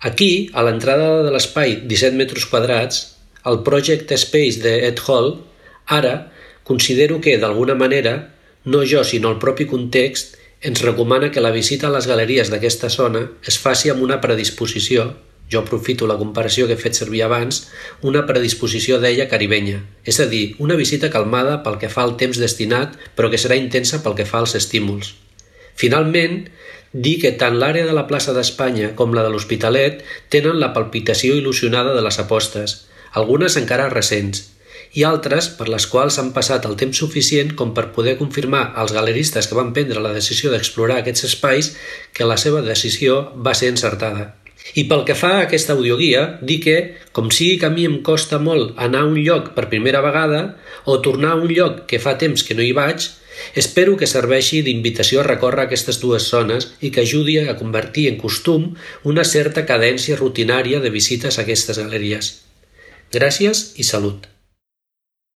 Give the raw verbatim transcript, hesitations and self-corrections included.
Aquí, a l'entrada de l'espai disset metres quadrats, el Project Space de Ed Hall, ara considero que, d'alguna manera, no jo sinó el propi context, ens recomana que la visita a les galeries d'aquesta zona es faci amb una predisposició, jo aprofito la comparació que he fet servir abans, una predisposició d'ella caribenya, és a dir, una visita calmada pel que fa al temps destinat, però que serà intensa pel que fa als estímuls. Finalment, dir que tant l'àrea de la plaça d'Espanya com la de l'Hospitalet tenen la palpitació il·lusionada de les apostes, algunes encara recents, i altres per les quals han passat el temps suficient com per poder confirmar als galeristes que van prendre la decisió d'explorar aquests espais que la seva decisió va ser encertada. I pel que fa a aquesta audioguia, dir que, com sigui que a mi em costa molt anar a un lloc per primera vegada o tornar a un lloc que fa temps que no hi vaig, espero que serveixi d'invitació a recórrer aquestes dues zones i que ajudi a convertir en costum una certa cadència rutinària de visites a aquestes galeries. Gràcies i salut!